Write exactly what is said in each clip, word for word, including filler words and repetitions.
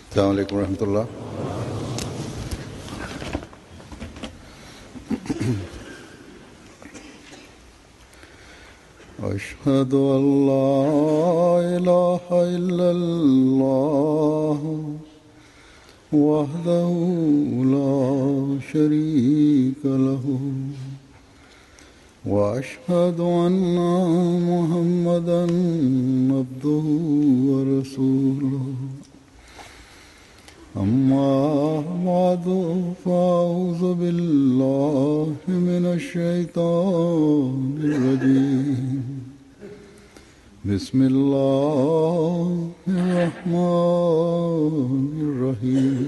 अस्सलाम वालेकुम रहमतुल्लाह। अशहदु अल्ला इलाहा इल्लल्लाह वहदहु ला शरीका लहु व अशहदु अन्ना मुहम्मदन अब्दुहु व रसूलुहु। अम्मा बादु फ़अऊज़ु बिल्लाहि मिनश शैतानिर रजीम। बिस्मिल्लाहिर रहमानिर रहीम।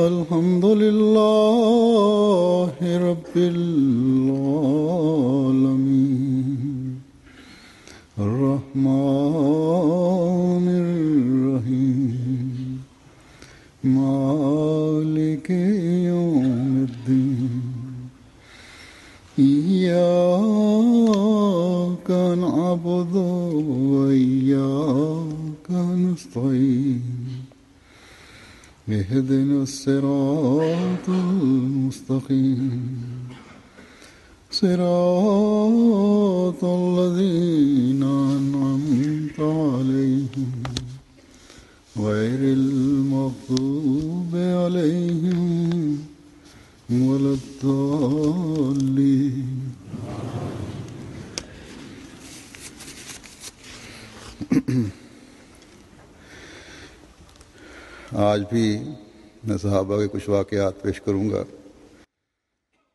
अल्हम्दुलिल्लाहि रब्बिल आलमीन अर्रहमानिर रहीम मालिकि यौमिद्दीन। इय्याका नअबुदु व इय्याका नस्तईन। इहदिनस सिरातल मुस्तक़ीम सिरातल लज़ीना अनअमत अलैहिम गैरिल मग़्दूबि अलैहिम वलद्दाल्लीन। आज भी मैं सहाबा के कुछ वाक़यात पेश करूँगा,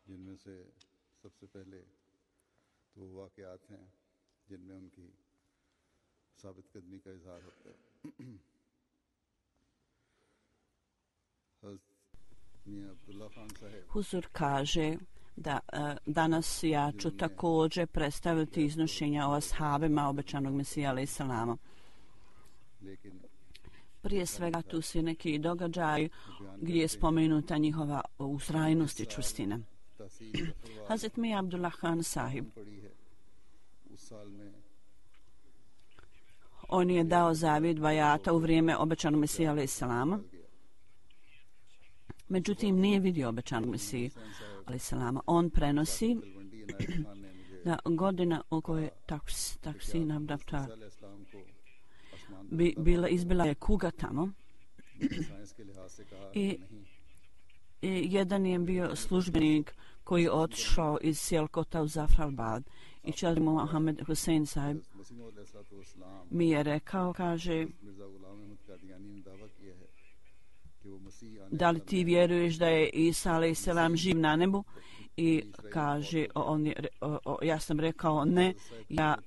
जिनमें से सबसे पहले तो वो वाक़यात हैं जिनमें उनकी साबित कदमी का इजहार होता है। Huzur kaže da uh, danas ja ću također predstaviti iznošenja o ashabima obećanog Mesija alejhi selama. Prije svega tu su neki događaj gdje je spomenuta njihova ustrajnost i čvrstina. Hazret Mir Abdullah Khan Sahib, on je dao zavjet bajata u vrijeme obećanog Mesija alejhi selama. Međutim, nije vidio obećanog Mesiju alejhi selama. On prenosi da godina u kojoj Taksin Abdaftar bi bila izbila je kuga tamo i, i jedan je bio službenik koji je otišao iz Sijalkota u Zafrabad i Čadri Mohamed Hussein Sahib mi je rekao, kaže, da li ti vjeruješ da je Isa alejhi selam živ na nebu? I kaže, on je, o, o, ja sam rekao ne, ja,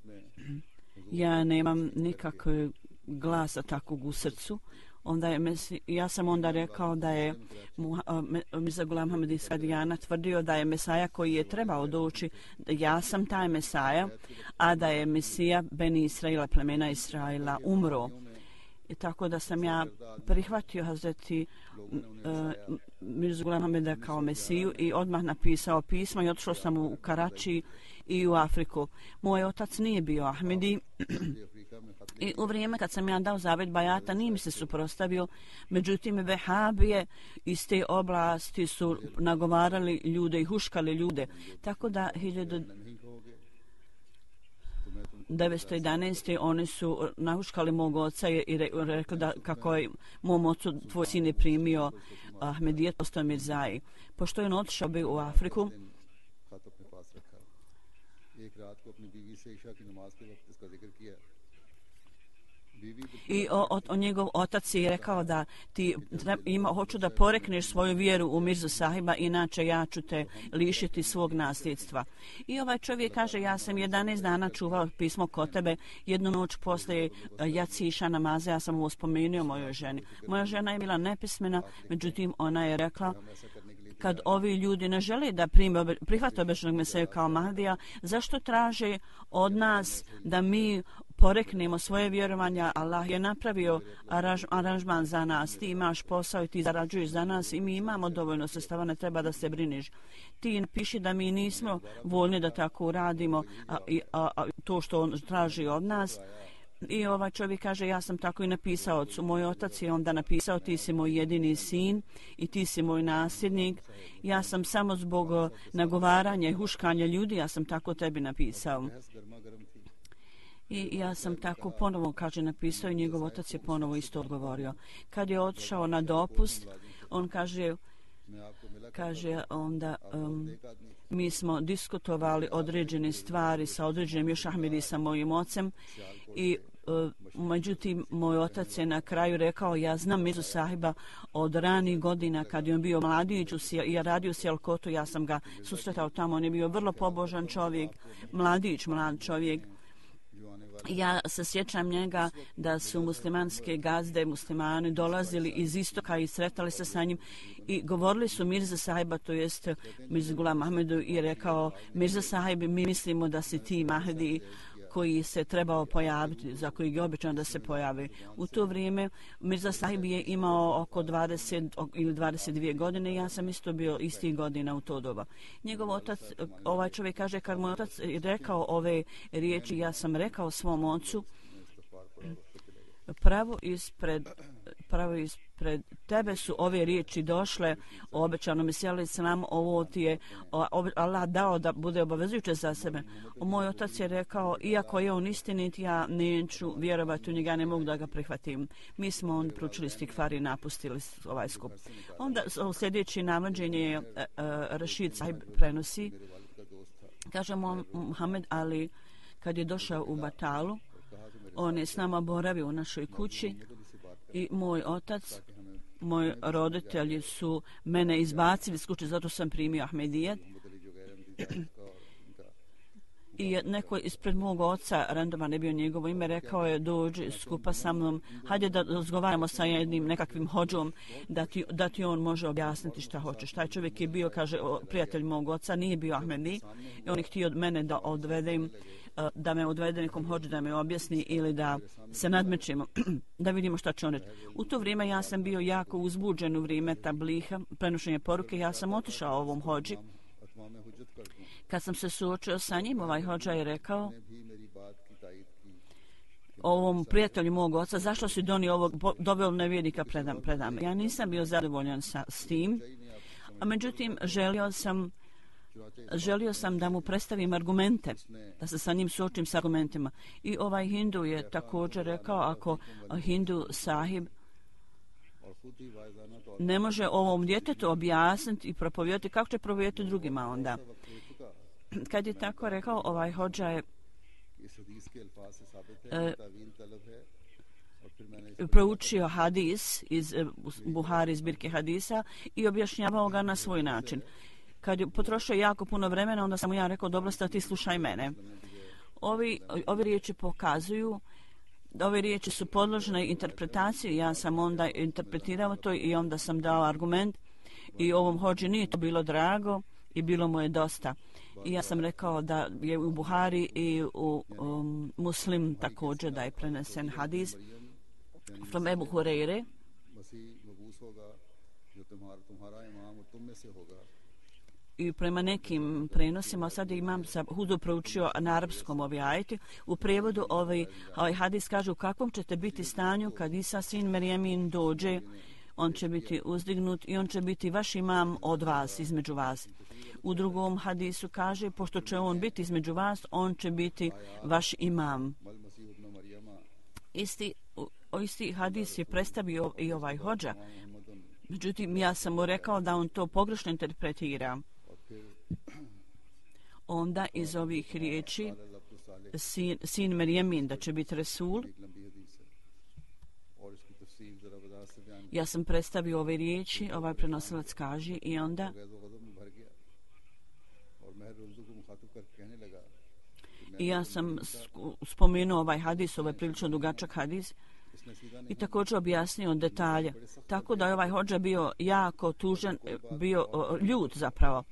ja nemam nikakvog glasa takvog u srcu. Onda je, ja sam onda rekao da je Mirza Ghulam Ahmad iz Kadijana tvrdio da je Mesaja koji je trebao doći, ja sam taj Mesaja, a da je Mesija Beni Israila, plemena Israila, umro. I tako da sam ja prihvatio Hazreti uh, Mirzu Ghulam Ahmeda kao Mesiju i odmah napisao pismo i otišao sam u Karači i u Afriku. Moj otac nije bio Ahmedi i u vrijeme kad sam ja dao zavjet bajata nije mi se suprotstavio, međutim Vehabije iz te oblasti su nagovarali ljude i huškali ljude. Tako da hiljadu devetsto jedanaeste. oni su nahuškali mog oca i rekli da kako je mom ocu tvoj sin je primio Ahmedijet, postao Mirzaji. Pošto je on otišao bi u Afriku, i o, o, o njegov otac je rekao da ti ima, hoću da porekneš svoju vjeru u Mirzu Sahiba, inače ja ću te lišiti svog nasljedstva. I ovaj čovjek kaže, ja sam jedanaest dana čuvao pismo kod tebe, jednu noć poslije jaciša namaza ja sam ovo spomenuo mojoj ženi. Moja žena je bila nepismena, međutim ona je rekla, kad ovi ljudi ne žele da prime, prihvate obećanog Mesiju kao Mahdija, zašto traže od nas da mi poreknemo svoje vjerovanja? Allah je napravio aranž, aranžman za nas, ti imaš posao i ti zarađuješ za nas i mi imamo dovoljno sredstava, ne treba da se briniš. Ti piši da mi nismo voljni da tako uradimo, a, a, a to što on traži od nas. I ovaj čovjek kaže, ja sam tako i napisao ocu. Moj otac je onda napisao, ti si moj jedini sin i ti si moj nasljednik. Ja sam samo zbog nagovaranja i huškanja ljudi, ja sam tako tebi napisao. I ja sam tako ponovo, kaže, napisao i njegov otac je ponovo isto odgovorio. Kad je otišao na dopust, on kaže, kaže onda, um, mi smo diskutovali određene stvari sa određenim još Ahmedi sa mojim ocem i uh, međutim moj otac je na kraju rekao, ja znam Mirzu Sahiba od ranih godina kad je on bio mladić i ja radio u Sijalkotu, ja sam ga susretao tamo, on je bio vrlo pobožan čovjek, mladić, mlad čovjek. Ja se sjećam njega da su muslimanske gazde, muslimani dolazili iz istoka i sretali se sa njim i govorili su Mirza Sahiba, to jest Mirza Gulam Ahmedu, i rekao, Mirza Sahib, mi mislimo da si ti Mahdi koji se trebao pojaviti, za koji je običan da se pojavi. U to vrijeme Mirza Sahib je imao oko dvadeset ili dvadeset dvije godine, ja sam isto bio istih godina u to doba. Njegov otac, ovaj čovjek kaže, kad moj otac rekao ove riječi, ja sam rekao svom ocu, pravo ispred, pravo ispred tebe su ove riječi došle o obećanom Mesiju alejhi selam, ovo ti je Allah dao da bude obavezujuće za sebe. Moj otac je rekao, iako je on istinit, ja neću vjerovati u njega, ne mogu da ga prihvatim. Mi smo on proučili stikfar i napustili ovaj skup. Onda sljedeći navođenje je uh, Rašid Sahib prenosi, kaže Muhammed Ali, kad je došao u Batalu, on je s nama boravio u našoj kući i moj otac, moji roditelji su mene izbacili iz kuće, zato sam primio Ahmedijet. I neko ispred mog oca, randoman je bio njegovo ime, rekao je, dođi skupa sa mnom, hajde da razgovaramo sa jednim nekakvim hođom, da ti, da ti on može objasniti šta hoćeš. Taj čovjek je bio, kaže, prijatelj mog oca, nije bio Ahmedi i on je htio od mene da odvedem, da me odvede nekom hođu, da me objasni ili da se nadmećemo, da vidimo šta će on reći. U to vrijeme ja sam bio jako uzbuđen u vrijeme tabliha, prenošenja poruke, ja sam otišao ovom hođi. Kad sam se suočio sa njim, ovaj hođa je rekao ovom prijatelju mog oca, zašto si donio ovog, doveo nevjernika predam, predame. Ja nisam bio zadovoljan sa, s tim, a međutim želio sam Želio sam da mu predstavim argumente, da se sa njim suočim s argumentima. I ovaj Hindu je također rekao, ako Hindu Sahib ne može ovom djetetu objasniti i propovjedati, kako će propovjedati drugima onda? Kad je tako rekao, ovaj hođa je e, proučio hadis iz Buhari, zbirke hadisa i objašnjavao ga na svoj način. Kad je potrošio jako puno vremena, onda sam mu ja rekao, dobro, sta ti slušaj mene. Ovi, ovi riječi pokazuju, ove riječi su podložene interpretaciji, ja sam onda interpretirao to i onda sam dao argument i ovom hođi nije to bilo drago i bilo mu je dosta. I ja sam rekao da je u Buhari i u um, Muslim također da je prenesen hadis from Ebu Hureyre. I prema nekim prenosima, sad imam sa Hudu proučio na arapskom ovaj ajeti, u prevodu ovaj, ovaj hadis kaže u kakvom ćete biti stanju kad Isa sin Merjemin dođe, on će biti uzdignut i on će biti vaš imam od vas, između vas. U drugom hadisu kaže, pošto će on biti između vas, on će biti vaš imam. Isti, o, isti hadis je predstavio i ovaj hođa. Međutim, ja sam mu rekao da on to pogrešno interpretira. Onda iz ovih riječi sin, sin Merjemin da će biti Resul, ja sam predstavio ove riječi, ovaj prenosilac kaže i onda i ja sam spomenuo ovaj hadis, ovaj prilično dugačak hadis i također objasnio detalje. Tako da je ovaj hođa bio jako tužan, bio ljut zapravo.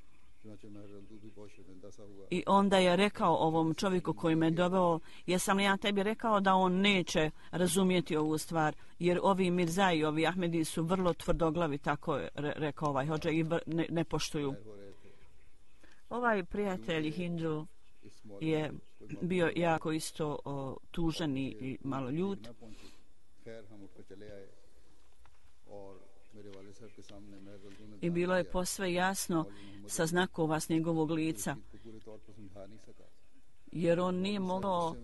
I onda je rekao ovom čovjeku koji me doveo, jesam li ja tebi rekao da on neće razumjeti ovu stvar, jer ovi Mirza i ovi Ahmedi su vrlo tvrdoglavi, tako je rekao ovaj hođa, i ne, ne poštuju. Ovaj prijatelj Hindu je bio jako isto o, tužan i malo ljut. I bilo je posve jasno sa znakova s njegovog lica, jer on nije mogao,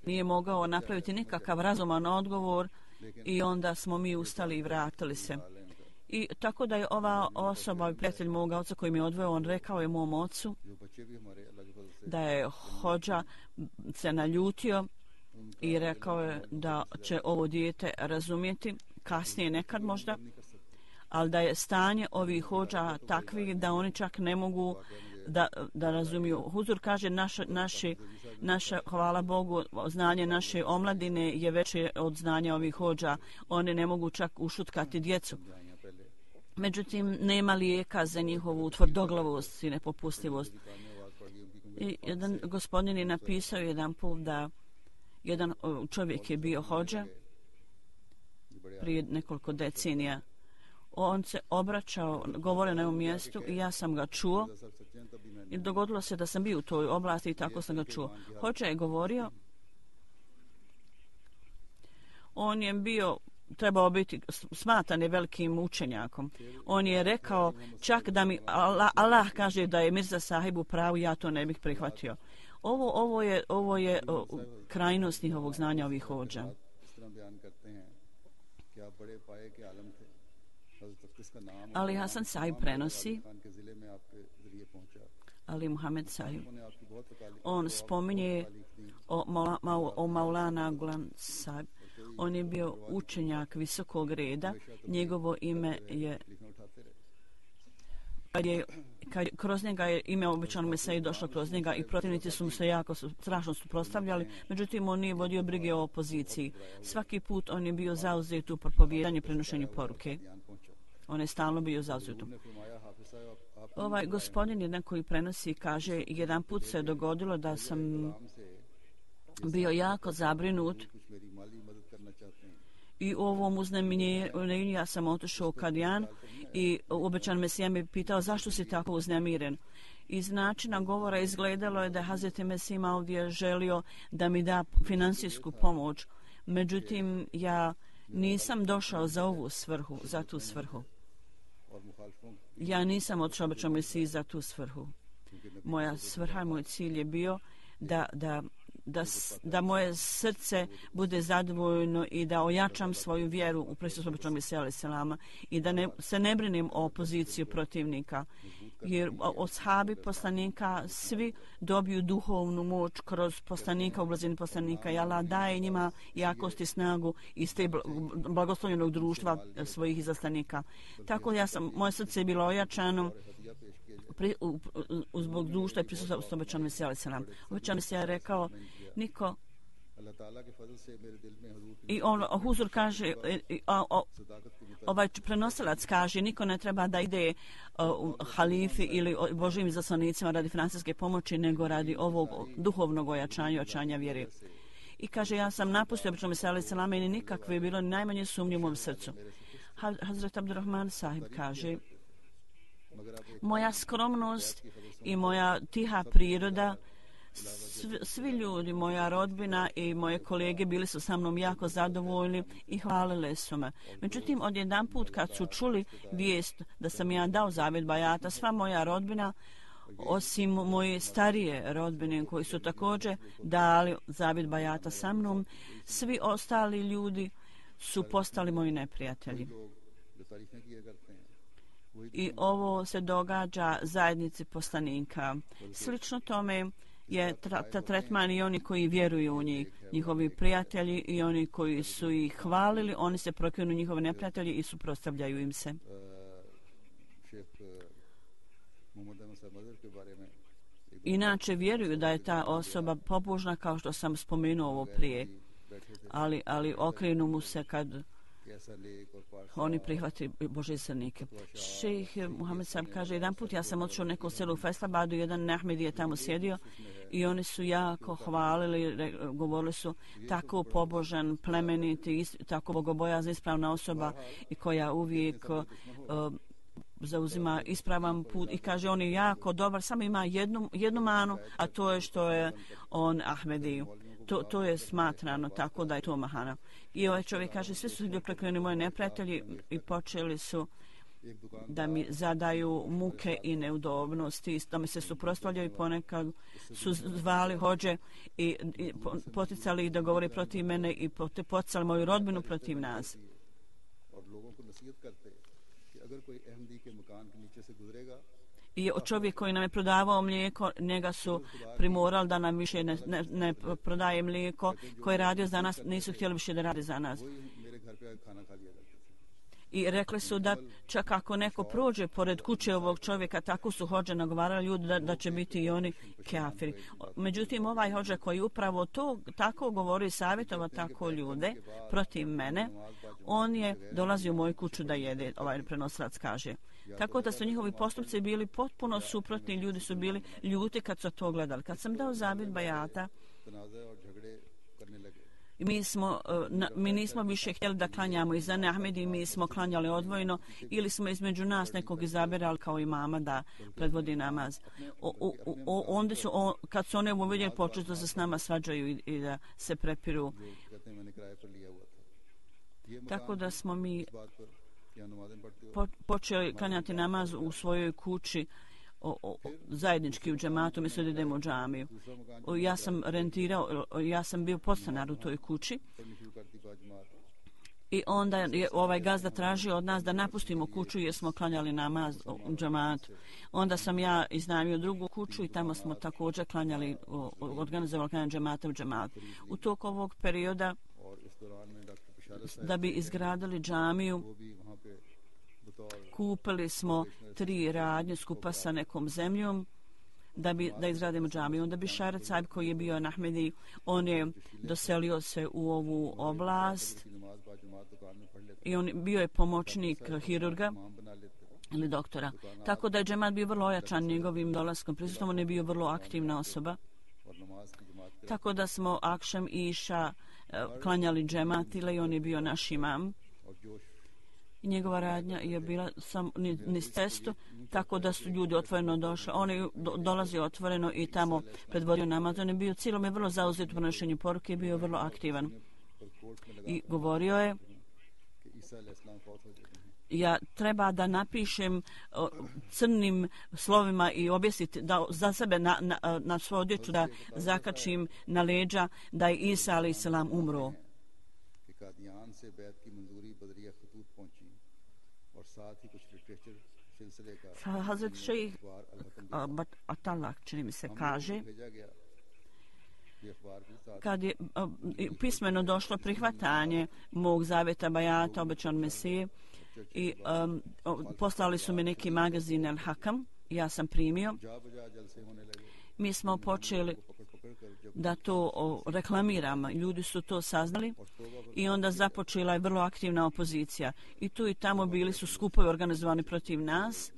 nije mogao napraviti nikakav razuman odgovor i onda smo mi ustali i vratili se. I tako da je ova osoba, prijatelj moga oca koji mi je odveo, on rekao je mom ocu da je hodža se naljutio i rekao je da će ovo dijete razumjeti kasnije nekad možda, ali da je stanje ovih hodža takvi da oni čak ne mogu da, da razumiju. Huzur kaže naša, naši, naša, hvala Bogu, znanje naše omladine je veće od znanja ovih hodža. Oni ne mogu čak ušutkati djecu. Međutim, nema lijeka za njihovu tvrdoglavost i nepopustljivost. I jedan gospodin je napisao jedan put da jedan čovjek je bio hodža prije nekoliko decenija. On se obraćao, govorio na ovom mjestu i ja sam ga čuo. I dogodilo se da sam bio u toj oblasti i tako sam ga čuo. Hodža je govorio, on je bio, trebao biti smatran je velikim učenjakom. On je rekao čak da mi Allah, Allah kaže da je Mirza Sahib u pravu, ja to ne bih prihvatio. Ovo, ovo je, ovo je o, krajnost njihovog znanja ovih hodža. Ali Hasan Sahib prenosi, Ali Muhammed Sahib, on spominje o, Maula, o Maulana Gulam Sahib. On je bio učenjak visokog reda, njegovo ime je, kad je kad kroz njega je ime obećano Mesiji došlo kroz njega i protivnici su mu se jako strašno suprotstavljali, međutim on nije vodio brige o opoziciji. Svaki put on je bio zauzet u propovijedanju i prenošenju poruke. On je stalno bio zauzet. Ovaj gospodin jedan koji prenosi kaže, jedan put se dogodilo da sam bio jako zabrinut i u ovom uznemirenju ja sam otišao u Kadijan i obećan Mesija me pitao zašto si tako uznemiren. Iz načina govora izgledalo je da je Hazreti Mesih ovdje želio da mi da finansijsku pomoć. Međutim, ja nisam došao za ovu svrhu, za tu svrhu. Ja nisam otišao obećan Mesiji za tu svrhu. Moja svrha, moj cilj je bio da, da Da, da moje srce bude zadovoljno i da ojačam svoju vjeru u Hristusa obećanog Mesija alejhi selama i da ne, se ne brinem o opoziciju protivnika. Jer od sahabi poslanika svi dobiju duhovnu moć kroz poslanika, u blizini poslanika i Allah daje njima jakost i snagu iz te blagoslovljenog društva svojih izaslanika. Tako ja sam, moje srce je bilo ojačano Pri, u, u, zbog društva i prisustva obećanog Mesija alejhi selam. Obećan Mesija je rekao niko i on Huzur kaže i, o, o, ovaj prenosilac kaže niko ne treba da ide u halifi ili Božjim izaslanicima radi financijske pomoći nego radi ovog duhovnog ojačanja, ojačanja vjere. I kaže ja sam napustio obećanog Mesija alejhi selam i nikakve bilo ni najmanje sumnje u mom srcu. Hazret Abdurrahman Sahib kaže moja skromnost i moja tiha priroda, svi, svi ljudi, moja rodbina i moje kolege bili su sa mnom jako zadovoljni i hvalili su me. Međutim, odjedan put kad su čuli vijest da sam ja dao zavjet bajata, sva moja rodbina, osim moje starije rodbine koji su također dali zavjet bajata sa mnom, svi ostali ljudi su postali moji neprijatelji. I ovo se događa zajednici poslanika. Slično tome je tra- tretman i oni koji vjeruju u njih, njihovi prijatelji i oni koji su ih hvalili, oni se prokljenu njihove neprijatelji i suprotstavljaju im se. Inače vjeruju da je ta osoba pobožna kao što sam spomenuo ovo prije, ali, ali okrenu mu se kad oni prihvati Božje srnike. Šejh Muhammed sam kaže, jedan put ja sam otišao u neko selo u Faisalabadu, jedan Ahmedi je tamo sjedio i oni su jako hvalili, govorili su tako pobožan, plemeniti, tako bogobojazna, ispravna osoba i koja uvijek uh, zauzima ispravan put i kaže on je jako dobar, samo ima jednu, jednu manu, a to je što je on Ahmedi. To, to je smatrano tako da je to mahana. I ovaj čovjek kaže, svi su proklinjeni moji neprijatelji i počeli su da mi zadaju muke i neudobnosti, da mi se suprotstavljaju, ponekad su zvali hođe i, i poticali ih da govori protiv mene i poticali moju rodbinu protiv nas. I čovjek koji nam je prodavao mlijeko, njega su primorali da nam više ne, ne, ne prodaje mlijeko, koji je radio za nas, nisu htjeli više da radi za nas. I rekli su da čak ako neko prođe pored kuće ovog čovjeka, tako su hođe nagovarali ljudi da, da će biti i oni kafiri. Međutim, ovaj hođa koji upravo to tako govori, savjetova tako ljude protiv mene, on je dolazio u moju kuću da jede, ovaj prenosilac kaže. Tako da su njihovi postupci bili potpuno suprotni, ljudi su bili ljuti kad su to gledali. Kad sam dao zavjet bajata, mi, smo, mi nismo više htjeli da klanjamo iza Ahmedi, mi smo klanjali odvojeno ili smo između nas nekog izabirali kao imama da predvodi namaz. O, o, o, onda su, o, kad su one uvidjeli, počeli da se s nama svađaju i, i da se prepiru. Tako da smo mi po, počeli klanjati namaz u svojoj kući, O, o, zajednički u džematu, mi se da idemo u džamiju. O, ja sam rentirao, ja sam bio podstanar u toj kući i onda je ovaj gazda tražio od nas da napustimo kuću jer smo klanjali namaz u džematu. Onda sam ja iznajmio drugu kuću i tamo smo također klanjali, organizovali klanjanje džemata u džematu. U toku ovog perioda da bi izgradili džamiju, kupili smo tri radnje skupa sa nekom zemljom da bi da izradimo džamiju. Onda bi Šaret Saib koji je bio Ahmedi, on je doselio se u ovu oblast i on bio je pomoćnik hirurga ili doktora. Tako da je džemat bio vrlo ojačan njegovim dolaskom prisustvom, on je bio vrlo aktivna osoba. Tako da smo akšam i iša klanjali džemat ili on je bio naš imam. I njegova radnja je bila sam niz cestu, tako da su ljudi otvoreno došli. On je do, dolazio otvoreno i tamo predvodio namaz. On je bio cijelom je vrlo zauzet u prenošenju poruke i bio vrlo aktivan. I govorio je, ja treba da napišem o, crnim slovima i objesiti da za sebe na, na, na svoju odjeću da zakačim na leđa da je Isa alejhi selam umro. Hazret Šejh Atalak, čini mi se, kaže, kad je pismeno došlo prihvatanje mog zavjeta bajata, obećan Mesije, i um, poslali su mi neki magazin El Hakam, ja sam primio. Mi smo počeli da to o, reklamiramo. Ljudi su to saznali i onda započela je vrlo aktivna opozicija. I tu i tamo bili su skupovi organizovani protiv nas.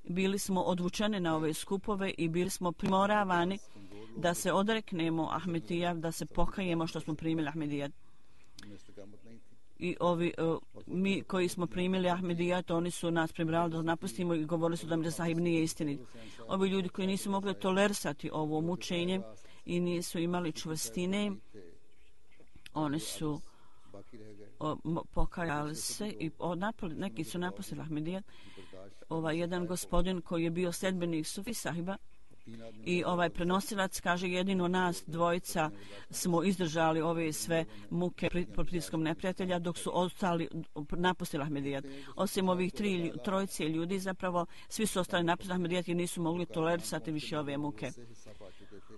Bili smo odvučeni na ove skupove i bili smo primoravani da se odreknemo Ahmedija, da se pokajemo što smo primili Ahmedija. I ovi, uh, mi koji smo primili Ahmedijat, oni su nas pribrali da napustimo i govorili su da Mirza Sahib nije istinit. Ovi ljudi koji nisu mogli tolerisati ovo mučenje i nisu imali čvrstine, oni su o, pokajali se i o, napoli, neki su napustili Ahmedijat. Ovaj jedan gospodin koji je bio sledbenik Sufi Sahiba i ovaj prenosilac kaže, jedino nas dvojica smo izdržali ove sve muke pod pritiskom neprijatelja, dok su ostali napustili Ahmedijat. Osim ovih tri trojice ljudi, zapravo svi su ostali napustili Ahmedijat i nisu mogli tolerisati više ove muke.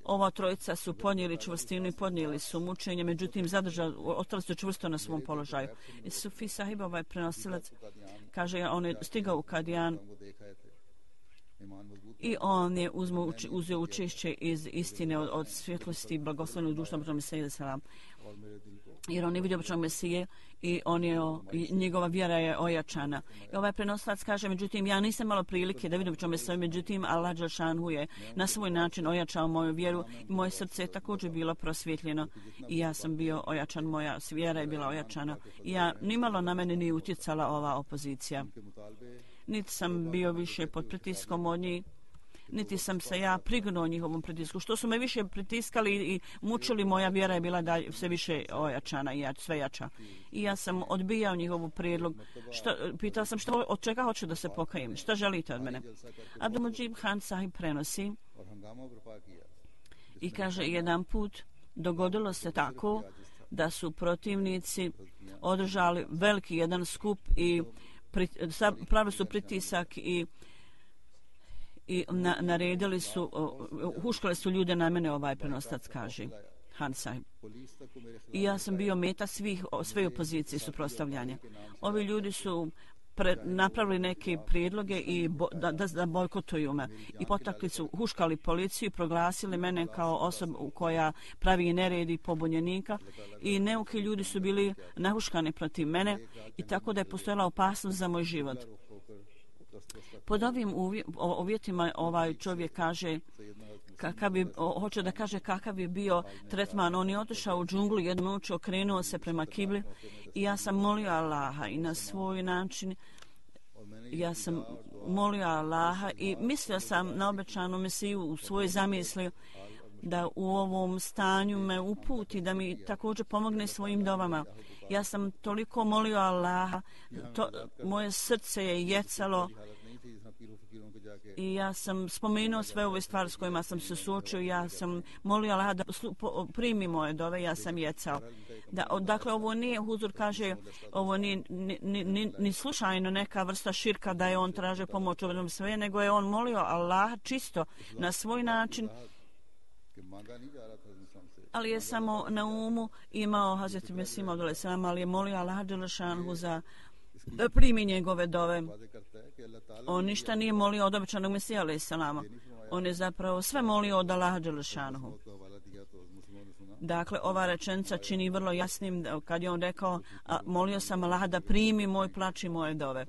Ova trojica su podnijeli čvrstinu i podnijeli su mučenje, međutim zadržali, ostali su čvrsto na svom položaju. I Sufi Sahib, ovaj prenosilac, kaže, on je stigao u Kadijan i on je uzmo, uzeo učešće iz istine od, od svjetlosti blagoslovnog društva Božnog Mesije selam. Jer on je vidio Božnog Mesije i on je, i njegova vjera je ojačana. I ovaj prenosilac kaže, međutim, ja nisam malo prilike da vidim Božnog Mesije, međutim, Allah dželešanu je na svoj način ojačao moju vjeru i moje srce je također bilo prosvjetljeno i ja sam bio ojačan, moja vjera je bila ojačana i ja nimalo na mene nije utjecala ova opozicija. niti sam bio više pod pritiskom od njih, niti sam se ja prignuo njihovom pritisku. Što su me više pritiskali i mučili, moja vjera je bila dalje sve više ojačana i sve jača. I ja sam odbijao njihovu prijedlog. Šta, pitao sam što, od čega hoću da se pokajem, šta želite od mene. Abdul-Mujib Khan Sahib prenosi i kaže, jedan put dogodilo se tako da su protivnici održali veliki jedan skup i pravili su pritisak i i na, naredili su, uh, huškali su ljude na mene, ovaj prenostac kaže Han Sahib. I ja sam bio meta svih, sve opozicije suprotstavljanja. Ovi ljudi su pre, napravili neke prijedloge i bo, da, da, da bojkotuju me. I potakli su, huškali policiju, proglasili mene kao osobu koja pravi nered i pobunjenika. I neuki ljudi su bili nahuškani protiv mene i tako da je postojala opasnost za moj život. Pod ovim uvjetima ovaj čovjek kaže kakav bi, hoće da kaže kakav je bio tretman. On je otišao u džunglu, jednu noć okrenuo se prema kibli i ja sam molio Allaha i na svoj način ja sam molio Allaha i mislio sam na obećanu Mesiju u svojoj zamisli da u ovom stanju me uputi, da mi također pomogne svojim dovama. Ja sam toliko molio Allaha, to, moje srce je jecalo i ja sam spomenuo sve ove stvari s kojima sam se suočio. Ja sam molio Allaha da primi moje dove, ja sam jecao. Da, dakle, ovo nije, Huzur kaže, ovo nije ni, ni, ni, ni slučajno neka vrsta širka da je on traže pomoć u ovom sve, nego je on molio Allaha čisto na svoj način, ali je samo na umu imao Hazreti Mesih Maud alejselam, ali je molio Allaha dželešanhu za da primi njegove dove. On ništa nije molio od obećanog Mesija alejselama. On je zapravo sve molio od Allaha dželešanhu. Dakle, ova rečenica čini vrlo jasnim kad je on rekao, a, molio sam Allaha da primi moj plač i moje dove.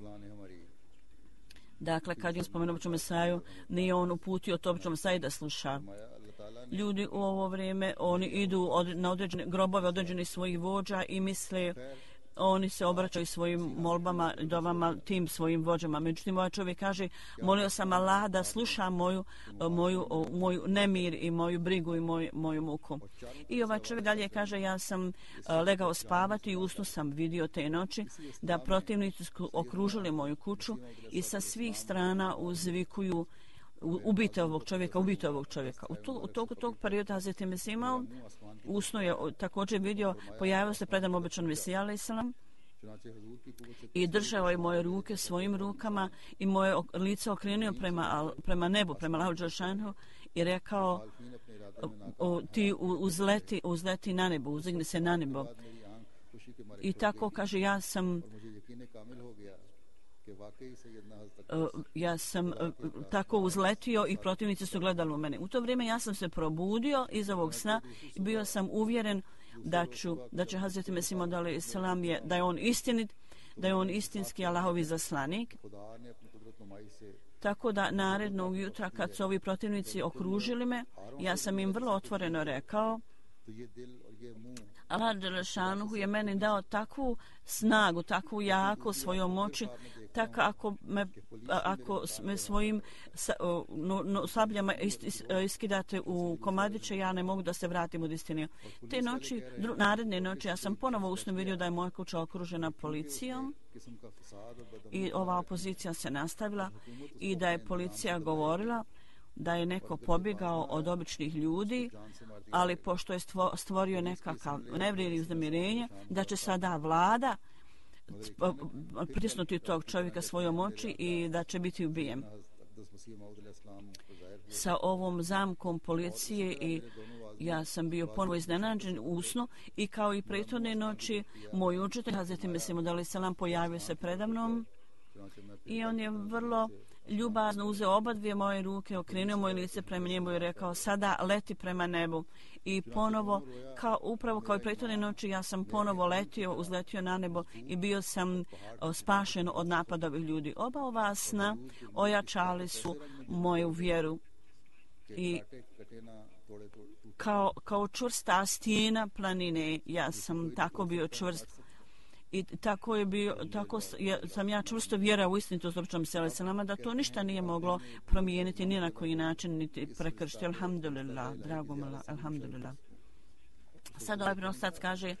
Dakle, kad je spomenuo obećanog Mesiju, nije on uputio to obećanog Mesiju da sluša. Ljudi u ovo vrijeme, oni idu od, na određene grobove određenih svojih vođa i misle, oni se obraćaju svojim molbama, dovama tim svojim vođama. Međutim, ovaj čovjek kaže, molio sam Allah da sluša moju, moju, moju nemir i moju brigu i moj, moju muku. I ovaj čovjek dalje kaže, ja sam legao spavati i usnu sam vidio te noći da protivnici su okružili moju kuću i sa svih strana uzvikuju, ubite ovog čovjeka, ubite ovog čovjeka. U, to, u toku tog perioda Hazreti Mesih Maud usno je također vidio, pojavio se predan obećan Mesija alejselam i držao je moje ruke svojim rukama i moje lice okrenuo prema, prema nebu, prema Allahu dželešanhu i rekao, o, ti uzleti, uzleti na nebo, uzdigni se na nebo. I tako kaže, ja sam Uh, ja sam uh, tako uzletio i protivnici su gledali u mene. U to vrijeme ja sam se probudio iz ovog sna i bio sam uvjeren da ću, da će Hazreti Mesih Maud alejselam je, da je on istinit, da je on istinski Allahovi zaslanik. Tako da narednog jutra kad su ovi protivnici okružili me, ja sam im vrlo otvoreno rekao, Allah dželešanuhu je meni dao takvu snagu, takvu jaku svojom moći, tako ako me, ako me svojim no, no, sabljama is, is, iskidate u komadiće, ja ne mogu da se vratim u istinu. Te noći, dru, naredne noći, ja sam ponovo usno vidio da je moja kuća okružena policijom i ova opozicija se nastavila i da je policija govorila da je neko pobjegao od običnih ljudi, ali pošto je stvorio nekakav nevrijedi uznemirenje, da će sada vlada pritisnuti tog čovjeka svojom oči i da će biti ubijen. Sa ovom zamkom policije i ja sam bio ponovo iznenađen usno i kao i prethodne noći moj učitelj Hazreti Mesih Maud alejselam pojavio se predamnom i on je vrlo ljubazno uzeo oba dvije moje ruke, okrenuo moje lice prema njemu i rekao, sada leti prema nebu. I ponovo, kao, upravo kao i prethodne noći, ja sam ponovo letio, uzletio na nebo i bio sam o, spašen od napada ovih ljudi. Oba ova sna ojačali su moju vjeru i kao, kao čvrsta stijena planine, ja sam tako bio čvrst I tako je bio, tako sam ja čvrsto vjera u istinitost obećanog Mesija selama, da to ništa nije moglo promijeniti ni na koji način, niti prekršiti. Alhamdulillah, drago mala, alhamdulillah. Sad ovaj prenosac kaže,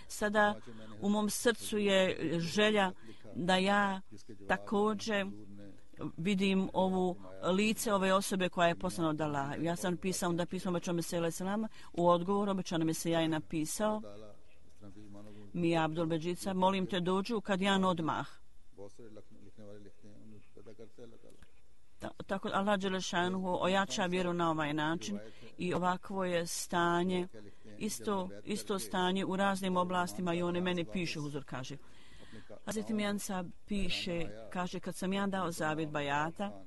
sada u mom srcu je želja da ja također vidim ovu lice ove osobe koja je poslana od Allaha. Ja sam pisao da pismo obećanog Mesija selama, u odgovoru obećanog Mesija je napisao: Mi Abdul Beđica, molim te dođu kad jedan odmah. Ta, tako Allah Đelešanuhu ojača vjeru na ovaj način i ovakvo je stanje, isto, isto stanje u raznim oblastima i one meni piše, Huzur kaže. Hazreti Mijansa piše, kaže, kad sam ja dao zavjet bajata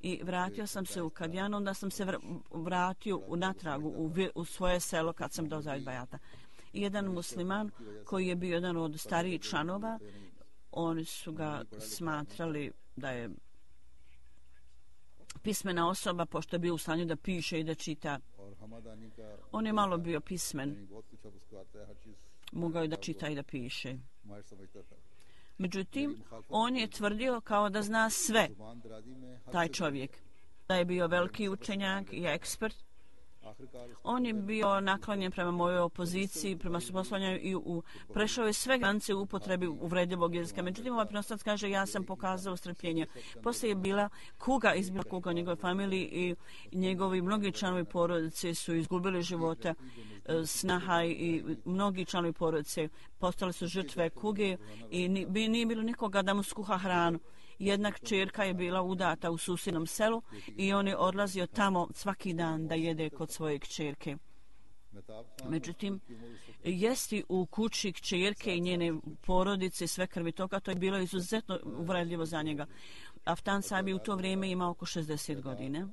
i vratio sam se u Kadjan, onda sam se vratio u natragu u, u svoje selo kad sam dao zavjet bajata. I jedan musliman koji je bio jedan od starijih članova, oni su ga smatrali da je pismena osoba, pošto je bio u stanju da piše i da čita. On je malo bio pismen, mogao je da čita i da piše. Međutim, on je tvrdio kao da zna sve, taj čovjek, da je bio veliki učenjak i ekspert. On je bio naklonjen prema mojoj opoziciji, prema suprotstavljanju i u, prešao je sve granice u upotrebi uvredljivog jezika. Međutim, ovaj prenosac kaže, ja sam pokazao strpljenje. Poslije je bila kuga, izbila kuga u njegovoj familiji i njegovi mnogi članovi porodice su izgubili života, snaha i mnogi članovi porodice postali su žrtve kuge i nije bilo nikoga da mu skuha hranu. Jedna kćerka je bila udata u susjednom selu i on je odlazio tamo svaki dan da jede kod svoje kćerke. Međutim, jesti u kući kćerke i njene porodice sve krvi toga, to je bilo izuzetno uvredljivo za njega. Aftan Sabi u to vrijeme imao oko šezdeset godina,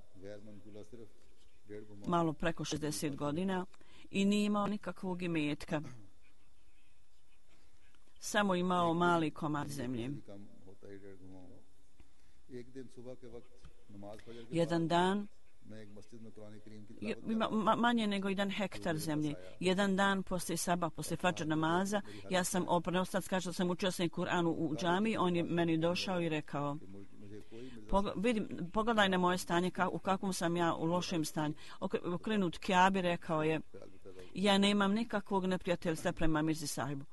malo preko šezdeset godina i nije imao nikakvog imetka. Samo imao mali komad zemlje. Jedan dan ima manje nego jedan hektar zemlje. Jedan dan poslije sabah, poslije fadžr namaza, ja sam oprenostac, kaže da sam učio sam Kur'an u džami, on je meni došao i rekao: Pog, vidim, pogledaj na moje stanje, ka, u kakvom sam ja u lošem stanju. Okrenut Kjabi, rekao je: ja nemam nikakvog neprijateljstva prema Mirzi sahibu.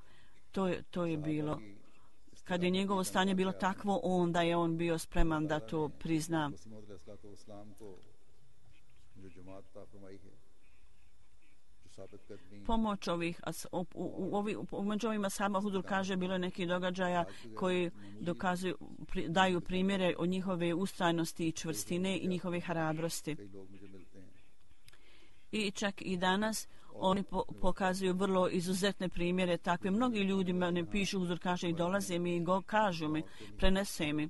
To je, to je bilo. Kad je njegovo stanje bilo takvo, onda je on bio spreman da to prizna. Pomoć ovih, u, u, u, u među ovima sama Huzur kaže, bilo je neki događaja koji dokazuju, pri, daju primjere o njihove ustrajnosti i čvrstine i njihove hrabrosti. I čak i danas oni po, pokazuju vrlo izuzetne primjere takve. Mnogi ljudi me pišu, Huzur kaže, i dolaze mi i go, kažu mi, prenese mi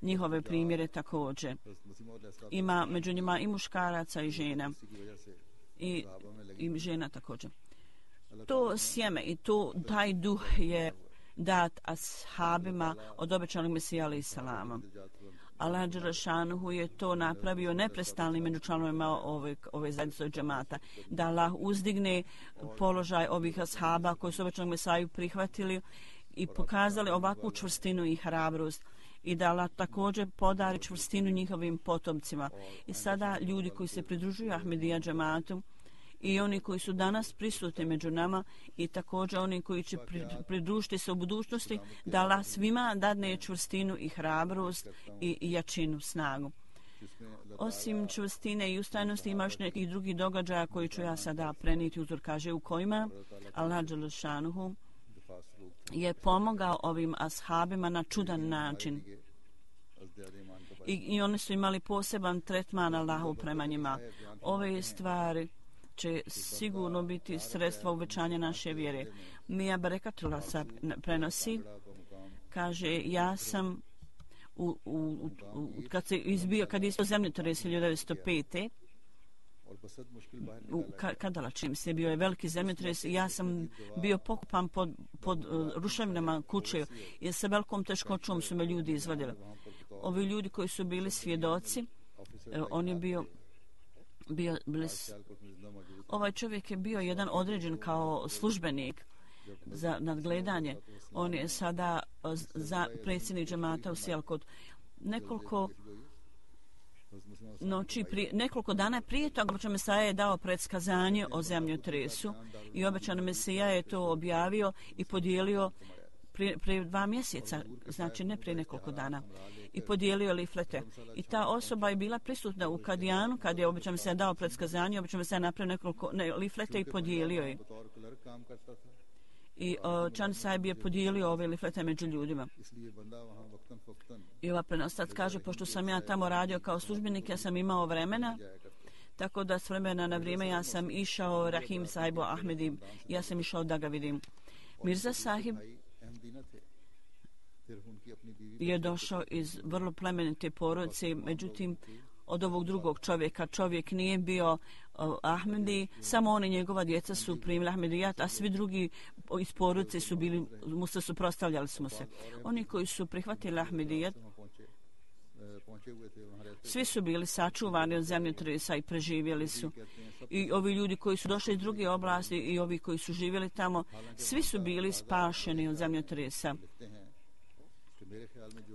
njihove primjere također. Ima među njima i muškaraca i žena. I, i žena također. To sjeme i to, taj duh je dat ashabima od obećanog Mesija alejhi selama. Allah Đelešanuhu je to napravio neprestalnim među članovima ove, ove zajednice džemata. Da Allah uzdigne položaj ovih ashaba koji su obećanog Mesiju prihvatili i pokazali ovakvu čvrstinu i hrabrost. I da Allah također podari čvrstinu njihovim potomcima. I sada ljudi koji se pridružuju Ahmedija džematu i oni koji su danas prisutni među nama i također oni koji će pridružiti se u budućnosti, da Allah svima dadne čvrstinu i hrabrost i, i jačinu, snagu. Osim čvrstine i ustrajnosti ima još nekih drugih događaja koji ću ja sada prenijeti, Uzor kaže, u kojima Allah Đelešanuhu je pomogao ovim ashabima na čudan način. I, i oni su imali poseban tretman Allahu prema njima. Ove stvari će sigurno biti sredstva uvećanja naše vjere. Mija Barekatullah prenosi, kaže, ja sam u, u, u, kad se izbio, kad je isto zemljotres hiljadu devetsto pete. U Kadala, čim se bio je veliki zemljotres i ja sam bio pokupan pod, pod uh, ruševinama kuće i sa velikom teškoćom su me ljudi izvadili. Ovi ljudi koji su bili svjedoci, uh, on je bio, bio bili, ovaj čovjek je bio jedan određen kao službenik za nadgledanje. On je sada za predsjednik džemata u Sijalkot. Nekoliko noći prije, nekoliko dana prije toga obećan Mesaja je dao predskazanje o zemljotresu i obećan Mesija je to objavio i podijelio prije, prije dva mjeseca, znači ne prije nekoliko dana, i podijelio liflete. I ta osoba je bila prisutna u Kadijanu kad je obećan Mesija dao predskazanje, obećan Mesija napravio nekoliko ne, liflete i podijelio je. I uh, Čan Sahib je podijelio ove liflete među ljudima. I ova prenostac kaže, pošto sam ja tamo radio kao službenik, ja sam imao vremena, tako da s vremena na vrijeme ja sam išao Rahim Sahibu Ahmedi, ja sam išao da ga vidim. Mirza Sahib je došao iz vrlo plemenite porodice, međutim od ovog drugog čovjeka. Čovjek nije bio uh, Ahmedi, samo on i njegova djeca su primili Ahmedijat, a svi drugi iz porodice su bili, mu se suprotstavljali smo se. Oni koji su prihvatili Ahmedijat, svi su bili sačuvani od zemljotresa i preživjeli su. I ovi ljudi koji su došli iz druge oblasti i ovi koji su živjeli tamo, svi su bili spašeni od zemljotresa,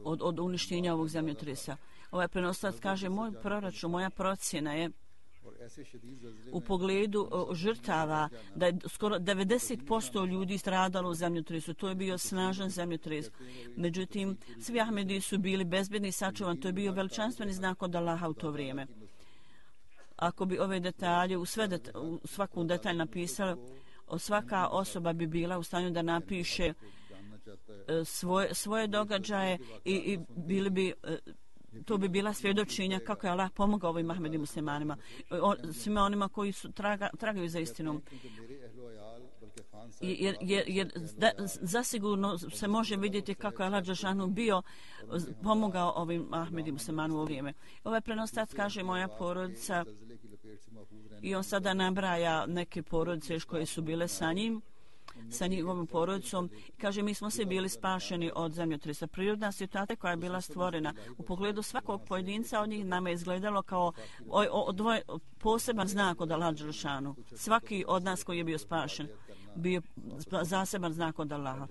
od, od uništenja ovog zemljotresa. Ovaj prenoslac kaže, moj proračun, moja procjena je u pogledu o, žrtava da je skoro devedeset posto ljudi stradalo u zemljotresu. To je bio snažan zemljotres. Međutim, svi Ahmedi su bili bezbedni i sačuvani. To je bio veličanstveni znak od Allaha u to vrijeme. Ako bi ove detalje u, sve det, u svaku detalj napisali, svaka osoba bi bila u stanju da napiše svoje, svoje događaje i, i bili bi... to bi bila svjedočenja kako je Allah pomogao ovim Ahmedi muslimanima, o, svima onima koji su traga, tragaju za istinom. Jer, jer, jer da, zasigurno se može vidjeti kako je Allah Đelešanu bio pomogao ovim Ahmedi muslimanima u vrijeme. Ovaj prenostac kaže moja porodica i on sada nabraja neke porodice koje su bile sa njim, sa njihovom porodicom. Kaže, mi smo se bili spašeni od zemljotresa. Prirodna situacija koja je bila stvorena u pogledu svakog pojedinca od njih nama je izgledalo kao o, o, dvoje, poseban znak od Allaha Đelešanu. Svaki od nas koji je bio spašen bio zaseban znak od Allaha.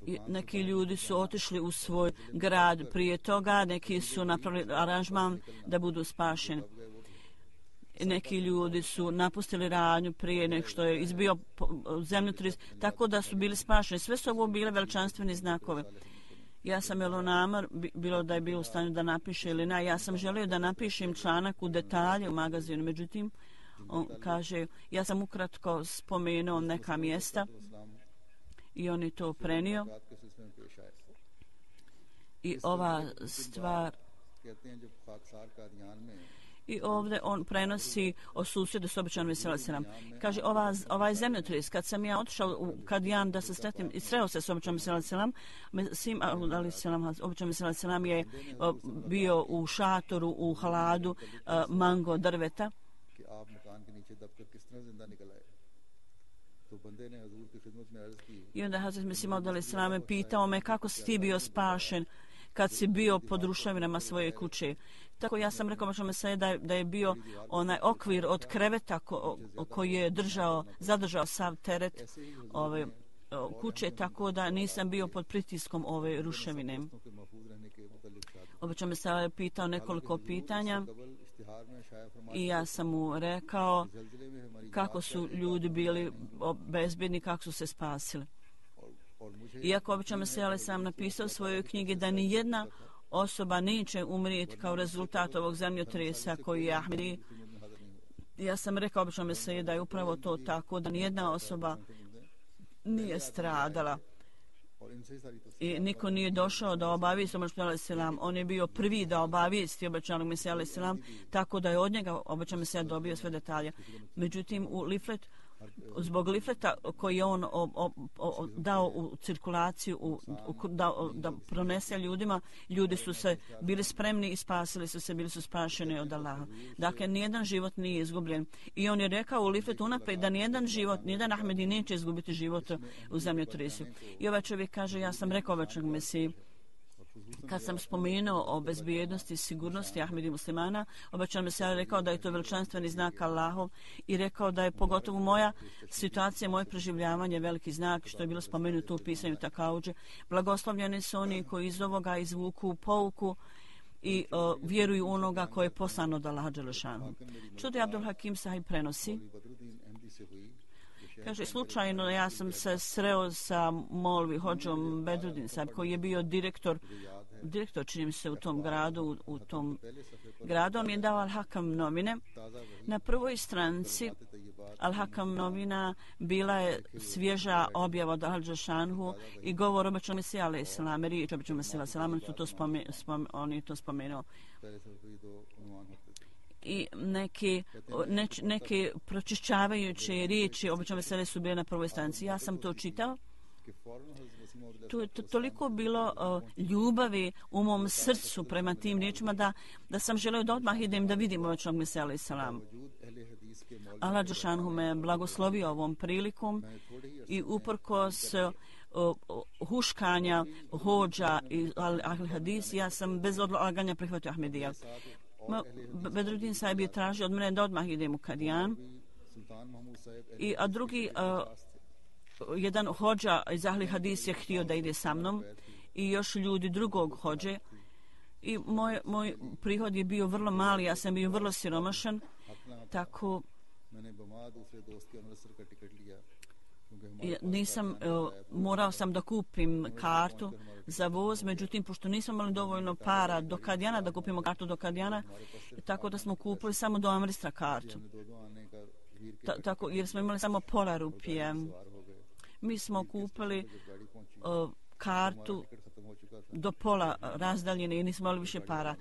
I neki ljudi su otišli u svoj grad prije toga, neki su napravili aranžman da budu spašeni. Neki ljudi su napustili radnju prije nek što je izbio zemljotres, tako da su bili spašeni. Sve su ovo bile veličanstveni znakove. Ja sam jelo namar, bilo da je bilo u stanju da napiše ili ne, ja sam želio da napišem članak u detalje u magazinu, međutim, on kaže, ja sam ukratko spomenuo neka mjesta i on je to prenio. I ova stvar... I ovdje on prenosi o susjedu s obećanom Veselam. Kaže, ova, ovaj zemljotres, kad sam ja otišao u Kadijan da se sretnem i sreo se s obećanom Veselam, Mesim obećanom Veselam je o, bio u šatoru, u haladu, a, mango drveta. I onda Hazret Mesim Veselam pitao me kako si ti bio spašen kad si bio pod ruševinama svoje kuće. Tako ja sam rekao možemo se da je, da je bio onaj okvir od kreveta ko, koji je držao, zadržao sav teret ove kuće, tako da nisam bio pod pritiskom ove ruševine. Obično me se pitao nekoliko pitanja i ja sam mu rekao kako su ljudi bili bezbjedni, kako su se spasili. Iako obično se ali sam napisao u svojoj knjigi da ni jedna osoba neće umrijeti kao rezultat ovog zemljotresa koji je Ahmedi. Ja sam rekao obično se da je upravo to tako, da nijedna osoba nije stradala. I niko nije došao da obavijesti obećanog selam. On je bio prvi da obavijesti obećanog Mesija selam, tako da je od njega obećanog Mesija dobio sve detalje. Međutim, u Liflet, zbog lifleta koji je on o, o, o, dao u cirkulaciju, u, u, da, da pronese ljudima, ljudi su se bili spremni i spasili su se, bili su spašeni od Allaha. Dakle, nijedan život nije izgubljen. I on je rekao u lifletu unaprijed da nijedan život, nijedan Ahmedi neće izgubiti život u zemljotresu. I ovaj čovjek kaže, ja sam rekao obećanog Mesiji Kad sam spomenuo o bezbjednosti i sigurnosti Ahmedi muslimana, obećan me se rekao da je to veličanstveni znak Allahov i rekao da je pogotovo moja situacija, moje preživljavanje veliki znak, što je bilo spomenuto u pisanju Takauđe. Blagoslovljeni su oni koji iz ovoga izvuku pouku i uh, vjeruju onoga koje je poslano od Allaha dželešanu. Čudi Abdul Hakim Sahib prenosi. Kaže, slučajno ja sam se sreo sa Molvi Hodžom Bedrudin Sahib, koji je bio direktor, direktor čini mi se u tom gradu, u, u tom gradu. On mi je dao Al-Hakam novine. Na prvoj stranici Al-Hakam novina bila je svježa objava od Al-Đašanhu i govor obećao Mesija alaih salam, riječ obećao Mesija alaih salam, on, to spome, spome, on je to spomenuo. I neke, ne, neke pročišćavajuće riječi obično vesele su bile na prvoj stranici. Ja sam to čitao. Tu je to, toliko bilo uh, ljubavi u mom srcu prema tim riječima da, da sam želeo da odmah idem da vidim ovećnog Mesija alaih salam. Allah džešanhu me blagoslovio ovom prilikom i uprkos uh, huškanja hođa i al-hadis, ja sam bez odlaganja prihvatio Ahmedija. Bedrudin Sahib je tražio od mene da odmah idem u Kadijan. I, a drugi, uh, jedan hođa iz Ahli Hadis je htio da ide sa mnom i još ljudi drugog hođe. I moj, moj prihod je bio vrlo mali, ja sam bio vrlo siromašan, tako nisam, uh, morao sam da kupim kartu za voz, međutim, pošto nismo imali dovoljno para do Kadijana, da kupimo kartu do Kadijana, tako da smo kupili samo do Amristra kartu. Ta, tako, jer smo imali samo pola rupije. Mi smo kupili uh, kartu do pola razdaljene i nismo imali više para.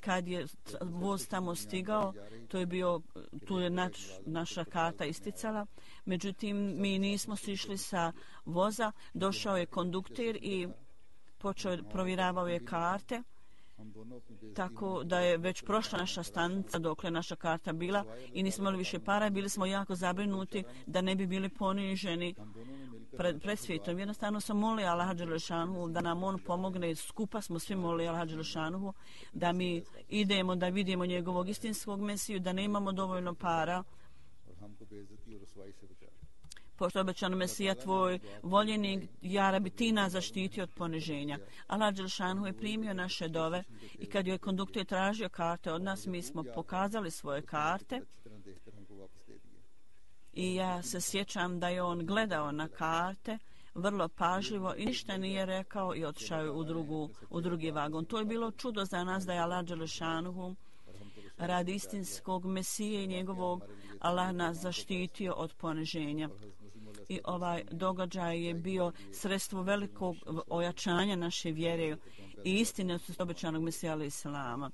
Kad je voz tamo stigao, to je bio, tu je naš, naša karta isticala, međutim, mi nismo sišli sa voza, došao je kondukter i počeo, provjeravao je karte, tako da je već prošla naša stanica dokle naša karta bila i nismo imali više para, bili smo jako zabrinuti da ne bi bili poniženi pred, pred svijetom. Jednostavno sam molio Allaha dželešanu da nam on pomogne, skupa smo svi molili Allaha dželešanu da mi idemo da vidimo njegovog istinskog Mesiju, da ne imamo dovoljno para. Pošto je obećano Mesija tvoj voljenik, ja Rabi ti nas zaštiti od poniženja. Allah dželešanu je primio naše dove i kad je konduktor tražio karte od nas, mi smo pokazali svoje karte. I ja se sjećam da je on gledao na karte vrlo pažljivo i ništa nije rekao i otišao u, drugu, u drugi vagon. To je bilo čudo za nas da je Allah dželešanuhu radi istinskog Mesije i njegovog Allah nas zaštitio od poniženja. I ovaj događaj je bio sredstvo velikog ojačanja naše vjere i istine od obećanog Mesija alaih salama.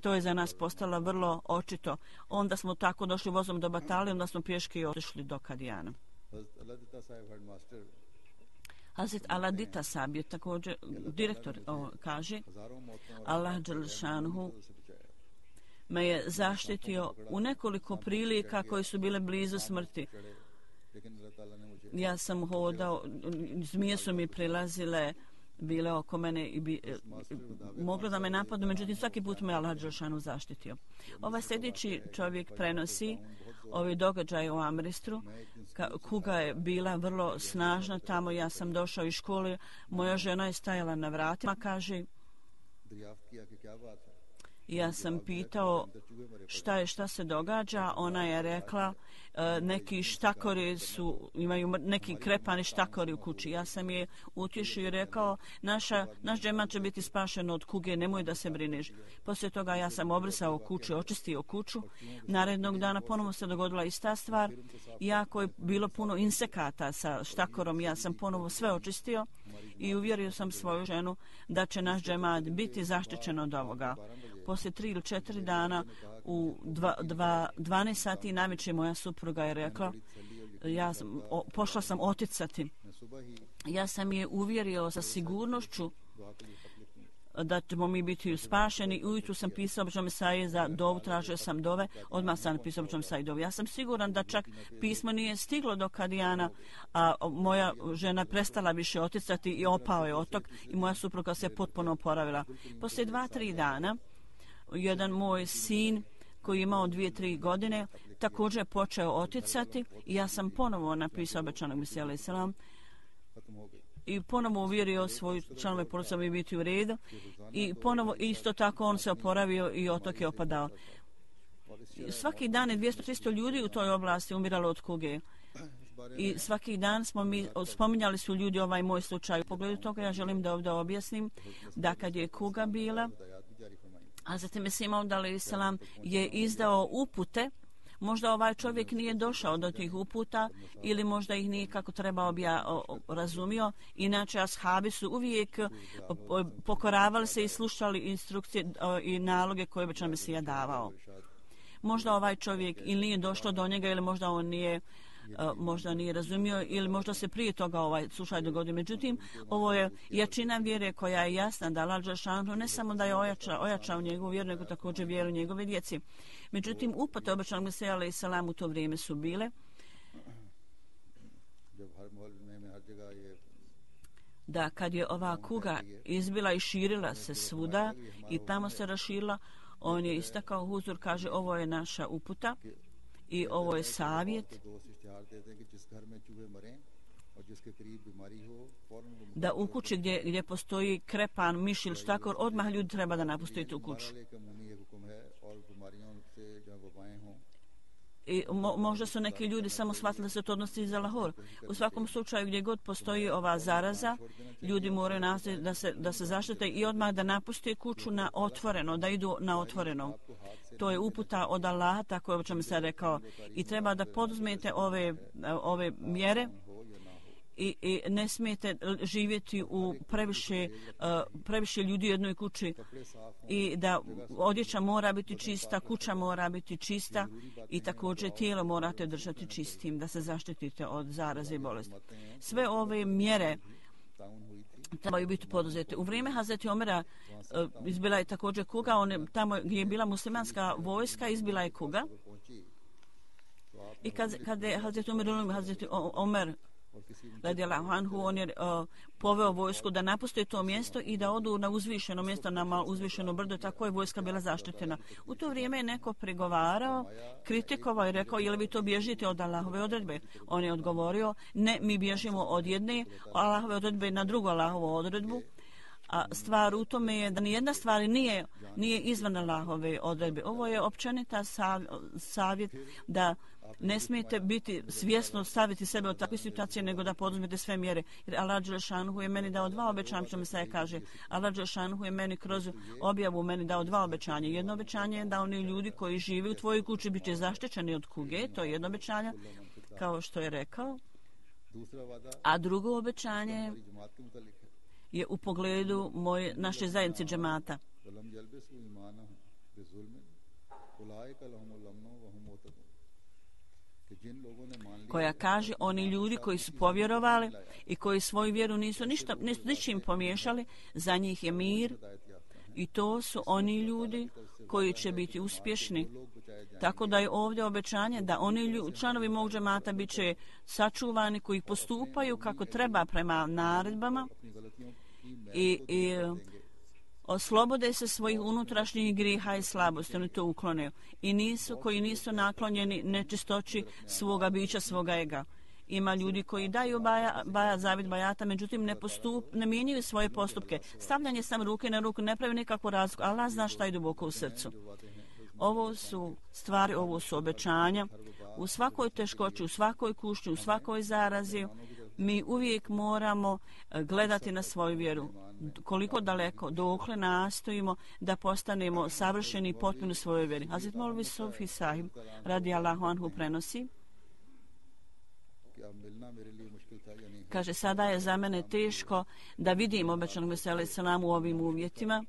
To je za nas postalo vrlo očito. Onda smo tako došli vozom do Batalije, onda smo pješke otišli do Kadijana. Hazret Aladita Sahib je također direktor, o, kaže, Allah dželešanu me je zaštitio u nekoliko prilika koje su bile blizu smrti. Ja sam hodao, zmije su mi prilazile, bile oko mene i bi, e, moglo da me napadnu, međutim svaki put me Allah dželešanu zaštitio. Ovaj sljedeći čovjek prenosi ovi događaje u Amristru, ka, kuga je bila vrlo snažna tamo. Ja sam došao iz škole, moja žena je stajala na vratima, kaže, ja sam pitao šta je, šta se događa. Ona je rekla e, neki štakori su, imaju neki krepani štakori u kući. Ja sam je utješio i rekao, naša, naš džemat će biti spašen od kuge, nemoj da se brineš. Poslije toga ja sam obrisao kuću, očistio kuću. Narednog dana ponovo se dogodila ista stvar. Iako je bilo puno insekata sa štakorom, ja sam ponovo sve očistio i uvjerio sam svoju ženu da će naš džemat biti zaštićen od ovoga. Poslije tri ili četiri dana u dva, dva, dvanaest sati navečer moja supruga je rekla, ja sam, o, pošla sam oticati. Ja sam je uvjerio sa sigurnošću da ćemo mi biti spašeni. Ujutru sam pisao običnom Mesaji za dovu, tražio sam dove, odmah sam napisao običnom Mesaji dovu. Ja sam siguran da čak pismo nije stiglo do Kadijana, a moja žena prestala više oticati i opao je otok i moja supruga se potpuno oporavila. Poslije dva, tri dana, jedan moj sin koji je imao dvije, tri godine, također je počeo oticati i ja sam ponovo napisao obećanog Mesija alejhi selam i ponovo uvjerio svoju članove porodice mi biti u redu i ponovo isto tako on se oporavio i otok je opadao. Svaki dan je dvjesto do tristo ljudi u toj oblasti umiralo od kuge. I svaki dan smo mi, spominjali su ljudi ovaj moj slučaj. U pogledu toga ja želim da ovdje objasnim da kad je kuga bila, Hazreti Mesih Maud alejhi selam je izdao upute. Možda ovaj čovjek nije došao do tih uputa ili možda ih nije kako treba obja, o, razumio. Inače, ashabi su uvijek o, pokoravali se i slušali instrukcije o, i naloge koje bi Mesija davao. Možda ovaj čovjek ili nije došlo do njega ili možda on nije Uh, možda nije razumio ili možda se prije toga ovaj slučaj dogodio. Međutim, ovo je jačina vjere koja je jasna da Allah dželešanu ne samo da je ojačao, ojačao njegovu vjeru, nego također vjeru njegove djeci. Međutim, upute obećanog Mesija alejhi selam u to vrijeme su bile da kad je ova kuga izbila i širila se svuda i tamo se raširila, on je istakao huzur, kaže ovo je naša uputa i ovo je savjet da u kući gdje, gdje postoji krepan, miš ili štakor, odmah ljudi treba da napuste tu kuću. I mo, možda su neki ljudi samo shvatili da se to odnosi za Lahor. U svakom slučaju gdje god postoji ova zaraza, ljudi moraju nastaviti da se, da se zaštite i odmah da napuste kuću na otvoreno, da idu na otvoreno. To je uputa od Allaha, tako je o čemu se rekao. I treba da poduzmete ove, ove mjere i, i ne smijete živjeti u previše, uh, previše ljudi u jednoj kući i da odjeća mora biti čista, kuća mora biti čista i također tijelo morate držati čistim da se zaštitite od zaraze i bolesti. Sve ove mjere trebaju biti poduzete. U vrijeme Hazreti Omera uh, izbila je također kuga, on je, tamo gdje je bila muslimanska vojska izbila je kuga i kad, kad je Hazreti Omer, Hazreti Omer radijallahu anhu, on je uh, poveo vojsku da napuste to mjesto i da odu na uzvišeno mjesto, na malo uzvišeno brdo, tako je vojska bila zaštićena. U to vrijeme je neko prigovarao, kritikovao i rekao, je li vi to bježite od Allahove odredbe? On je odgovorio, ne, mi bježimo od jedne Allahove odredbe na drugu Allahovu odredbu. A stvar u tome je da nijedna stvar nije, nije izvan Allahove odredbe. Ovo je općenita sav, savjet da ne smijete biti svjesno staviti sebe od takve situacije, nego da poduzmete sve mjere. Jer Allah dželešanu je meni dao dva obećanja, što mi se kaže. Allah dželešanu je meni kroz objavu meni dao dva obećanja. Jedno obećanje je da oni ljudi koji žive u tvojoj kući bit će zaštićeni od kuge, to je jedno obećanje, kao što je rekao. A drugo obećanje je u pogledu moje, naše zajednice džemata. Koja kaže, oni ljudi koji su povjerovali i koji svoju vjeru nisu ništa, ničim pomiješali, za njih je mir i to su oni ljudi koji će biti uspješni. Tako da je ovdje obećanje da oni ljudi, članovi mog džemata bit će sačuvani koji postupaju kako treba prema naredbama i, i oslobode se svojih unutrašnjih griha i slabosti, oni to uklone i nisu, koji nisu naklonjeni nečistoći svoga bića, svoga ega. Ima ljudi koji daju baja, baja zavid bajata, međutim ne, postup, ne mijenjaju svoje postupke. Stavljanje sam ruke na ruku ne pravi nikakvu razliku, Allah zna šta je duboko u srcu. Ovo su stvari, ovo su obećanja. U svakoj teškoći, u svakoj kušnji, u svakoj zarazi, mi uvijek moramo gledati na svoju vjeru. Koliko daleko, dokle nastojimo da postanemo savršeni i potpuni u svojoj vjeri. Hazret Molvi Sufi Sahib radijallahu anhu prenosi. Kaže, sada je za mene teško da vidim obećanog Mesija alejhi selam u ovim uvjetima.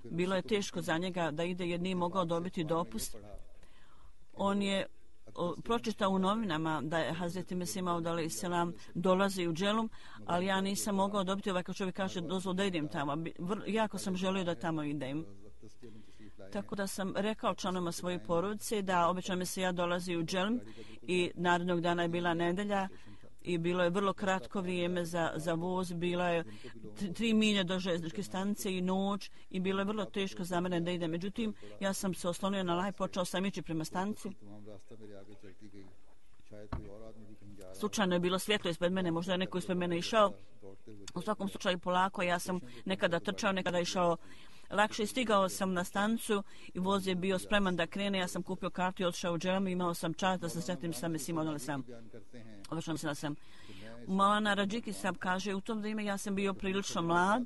Bilo je teško za njega da ide jer nije mogao dobiti dopust. On je pročitao u novinama da je Hazreti Mesih Maud alejhi selam dolazi u Dželum, ali ja nisam mogao dobiti ovaj kad čovjek kaže dozvol da idem tamo. Jako sam želio da tamo idem. Tako da sam rekao članovima svoje porodice da obično mi se ja dolazi u Dželum i narednog dana je bila nedelja i bilo je vrlo kratko vrijeme za, za voz, bila je tri milje do željezničke stanice i noć i bilo je vrlo teško za mene da idem. Međutim, ja sam se oslonio na laj, počeo sam ići prema stanici. Slučajno je bilo svjetlo ispred mene, možda je neko ispred mene išao. U svakom slučaju polako, ja sam nekada trčao, nekada išao lakše. Stigao sam na stanicu i voz je bio spreman da krene. Ja sam kupio kartu i otišao u Dželum i imao sam čast da se sretnem sa Mesihom Maud alejhi selam. Obično mislim da sam. Maulana Radžiki Sahab kaže, u tom vrijeme ja sam bio prilično mlad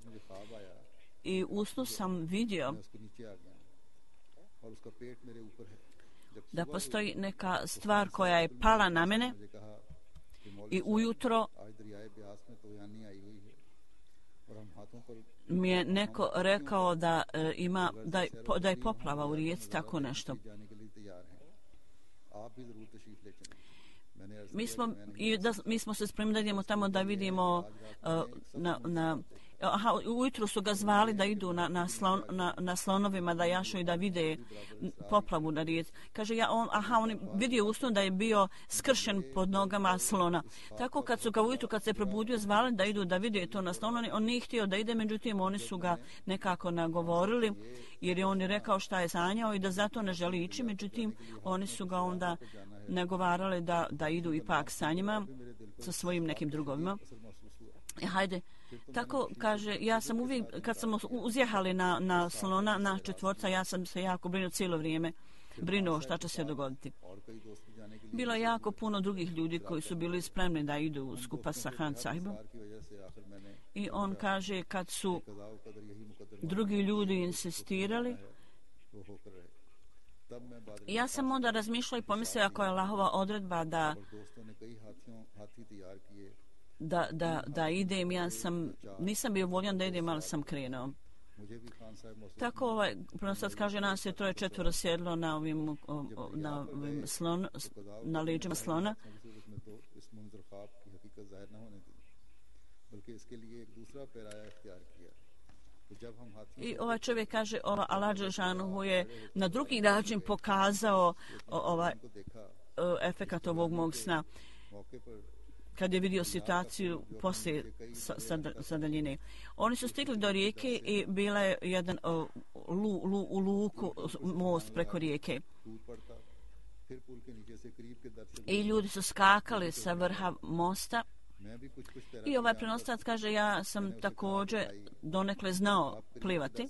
i u snu sam vidio da postoji neka stvar koja je pala na mene i ujutro mi je neko rekao da e, ima da je, da je poplava u rijeci, tako nešto. Mi smo, i da, mi smo se spremili da idemo tamo da vidimo uh, na, na aha, ujutru su ga zvali da idu na, na, slon, na, na slonovima da jašu i da vide poplavu na rijeci. Kaže, ja, on, aha, on je vidio usnu da je bio skršen pod nogama slona. Tako kad su ga ujutru, kad se probudio, zvali da idu da vide to na slonu, on nije htio da ide, međutim oni su ga nekako nagovorili, jer je on je rekao šta je sanjao i da zato ne želi ići, međutim oni su ga onda nagovarali da, da idu ipak sa njima, sa svojim nekim drugovima. E, hajde, tako kaže, ja sam uvijek, kad smo uzjehali na, na slona, na četvorca, ja sam se jako brinuo cijelo vrijeme, brinuo šta će se dogoditi. Bilo je jako puno drugih ljudi koji su bili spremni da idu skupa sa Han Sahibom. I on kaže, kad su drugi ljudi insistirali, ja sam onda razmišljala i pomislila ako je Allahova odredba da da, da, da idem, ja sam, nisam bio voljan da idem, ali sam krenuo. Tako ovaj, prenosac kaže, nas je troje četvoro sjedlo na ovim, o, o, na, ovim slon, na leđima slona. I ovaj čovjek kaže, ova Allah Đelešanohu je na drugi način pokazao ovaj efekat ovog mog sna kad je vidio situaciju poslije sa, sa, sa daljine. Oni su stigli do rijeke i bila je jedan uh, lu, lu, u luku most preko rijeke. I ljudi su skakali sa vrha mosta. I ovaj prenoslac kaže, ja sam također donekle znao plivati.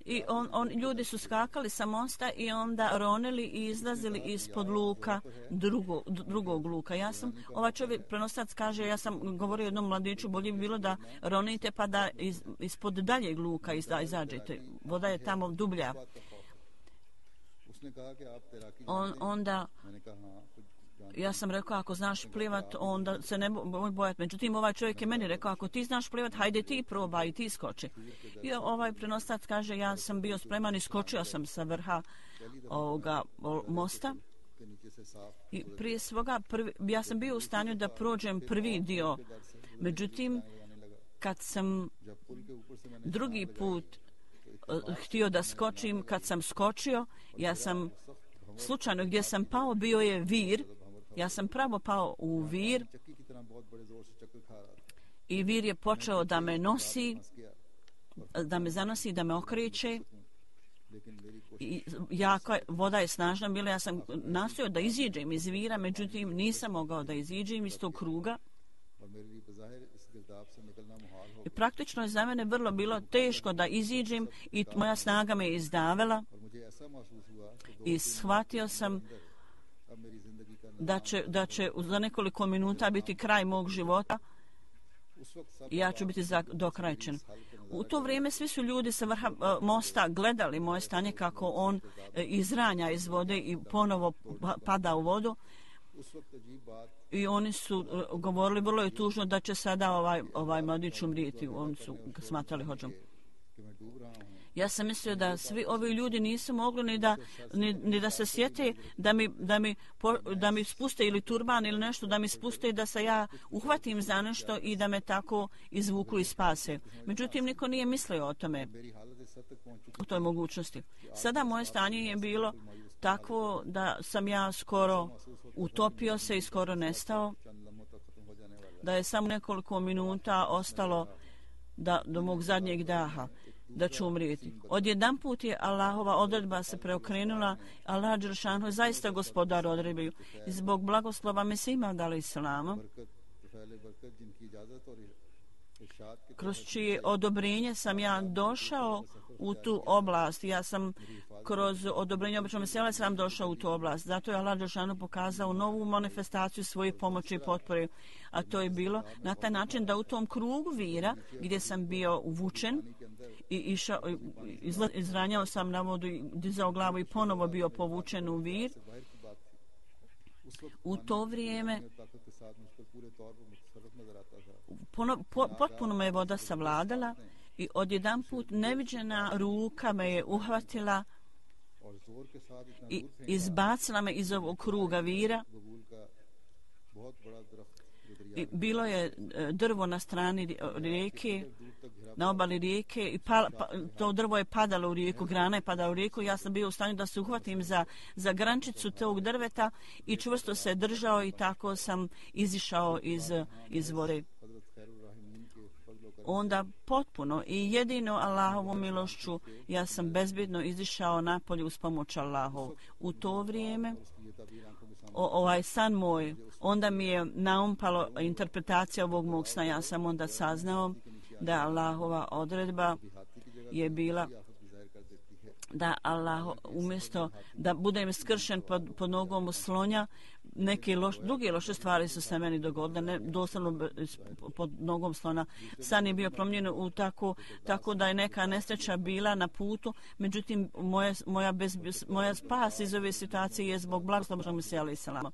I on, on, ljudi su skakali sa mosta i onda ronili i izlazili ispod luka drugo, drugog luka. Ja sam, ovaj čovjek prenoslac kaže, ja sam govorio jednom mladiću, bolje bi bilo da ronite pa da iz, ispod daljeg luka izađete. Voda je tamo dublja. On, onda ja sam rekao, ako znaš plivat, onda se ne boj bojati. Međutim, ovaj čovjek je meni rekao, ako ti znaš plivat, hajde ti probaj i ti skoči. I ovaj prenoslac kaže, ja sam bio spreman i skočio sam sa vrha ovoga mosta. I prije svoga, prvi, ja sam bio u stanju da prođem prvi dio. Međutim, kad sam drugi put uh, htio da skočim, kad sam skočio, ja sam slučajno gdje sam pao, bio je vir. Ja sam pravo pao u vir i vir je počeo da me nosi, da me zanosi, da me okreće. I jako, voda je snažna bila, ja sam nastojao da iziđem iz vira, međutim nisam mogao da iziđem iz tog kruga. I praktično je za mene vrlo bilo teško da iziđem i moja snaga me izdavela i shvatio sam da će, da će za nekoliko minuta biti kraj mog života i ja ću biti dokrajčen. U to vrijeme svi su ljudi sa vrha mosta gledali moje stanje kako on izranja iz vode i ponovo pada u vodu. I oni su govorili, vrlo je tužno da će sada ovaj, ovaj mladić umrijeti. Oni su smatrali hođom. Ja sam mislio da svi ovi ljudi nisu mogli ni da, ni, ni da se sjete da mi, da, mi, da mi spuste ili turban ili nešto, da mi spuste da se ja uhvatim za nešto i da me tako izvuku i spase. Međutim, niko nije mislio o tome, o toj mogućnosti. Sada moje stanje je bilo takvo da sam ja skoro utopio se i skoro nestao, da je samo nekoliko minuta ostalo da, do mog zadnjeg daha, da ću umrijeti. Odjedan put je Allahova odredba se preokrenula, Allah Đelešanu je zaista gospodar odredbi. I zbog blagoslova Mesima dali Islama, kroz čije odobrenje sam ja došao u tu oblast. Ja sam kroz odobrenje obično Mesija sam došao u tu oblast. Zato je Allah Đelešanu pokazao novu manifestaciju svoje pomoći i potpore. A to je bilo na taj način da u tom krugu vira gdje sam bio uvučen i išao, izla, izranjao sam na vodu i dizao glavu i ponovo bio povučen u vir. U to vrijeme pono, po, potpuno me je voda savladala i odjedan put neviđena ruka me je uhvatila i izbacila me iz ovog kruga vira. I bilo je drvo na strani rijeke, na obali rijeke i pa, pa, to drvo je padalo u rijeku, grana je padala u rijeku. Ja sam bio u stanju da se uhvatim za, za grančicu tog drveta i čvrsto se držao i tako sam izišao iz, iz vode. Onda potpuno i jedino Allahovom milošću ja sam bezbjedno izišao napolje uz pomoć Allahov. U to vrijeme o, ovaj san moj, onda mi je naumpalo interpretacija ovog mog sna. Ja sam onda saznao da Allahova odredba je bila da Allah umjesto da budem skršen pod, pod nogom slonja, neke loš, druge loše stvari su se meni dogodile, ne doslovno pod nogom slona. San je bio promijenjen u tako, tako da je neka nesreća bila na putu, međutim moja, moja, bez, moja spas iz ove situacije je zbog blagoslova Mesija alejhi selam.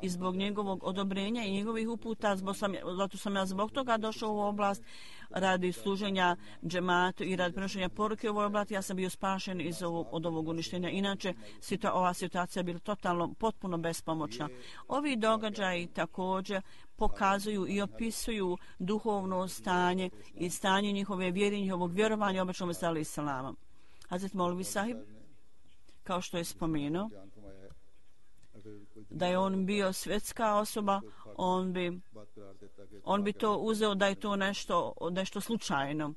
I zbog njegovog odobrenja i njegovih uputa, zbog sam, zato sam ja zbog toga došao u oblast radi služenja džematu i radi prenošenja poruke u ovoj oblasti. Ja sam bio spašen iz ovog, od ovog uništenja. Inače, situa, ova situacija je bila totalno, potpuno bespomoćna. Ovi događaji također pokazuju i opisuju duhovno stanje i stanje njihove vjere, njihovog vjerovanja običnom Mesija alejhi selam. Hazret Molvi Sahib, kao što je spomenuo, da je on bio svjetska osoba, on bi, on bi to uzeo da je to nešto, nešto slučajno.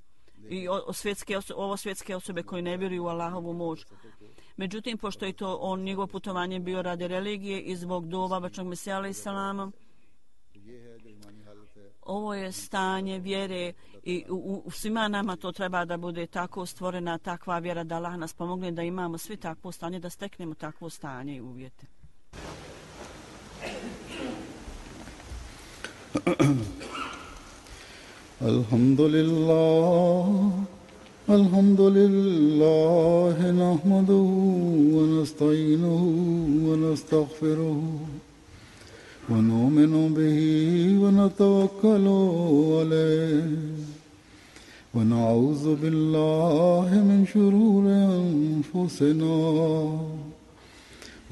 I o, o svjetske osobe, ovo svjetske osobe koje ne vjeruju u Allahovu moć. Međutim, pošto je to on, njegovo putovanje bio radi religije i zbog dova bačnog Mesija alejhi selam, ovo je stanje vjere i u, u svima nama to treba da bude tako stvorena takva vjera da Allah nas pomogne da imamo svi takvo stanje, da steknemo takvo stanje i uvjete. Alhamdulillah, alhamdulillah, nahmaduhu wa nasta'inuhu wa nastaghfiruhu wa nu'minu bihi wa natawakkalu alayhi wa na'udhu billahi min shururi anfusina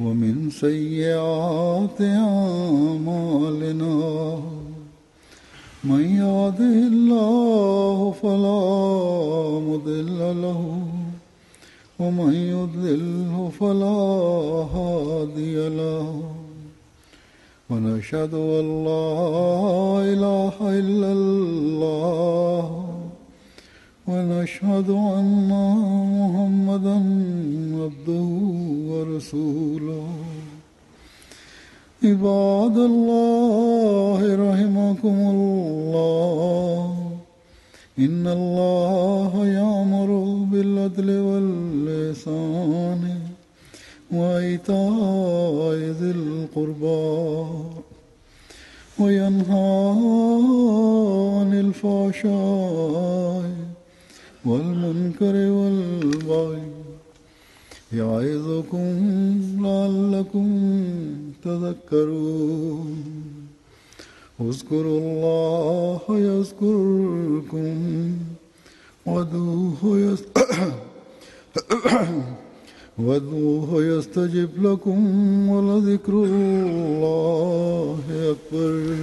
ومن سيئات أعمالنا من يهده الله فلا مضل له ومن يضلل فلا هادي له ونشهد أن لا إله إلا الله ونشهد أن محمدًا عبده ورسوله عباد الله رحمكم الله إن الله يأمر بالعدل والإحسان وإيتاء ذي القربى وينهى عن الفحشاء والمنكر والبغي يعظكم لعلكم تذكرون اذكروا الله يذكركم وادعوه وادعوه يستجب لكم ولذكر الله أكبر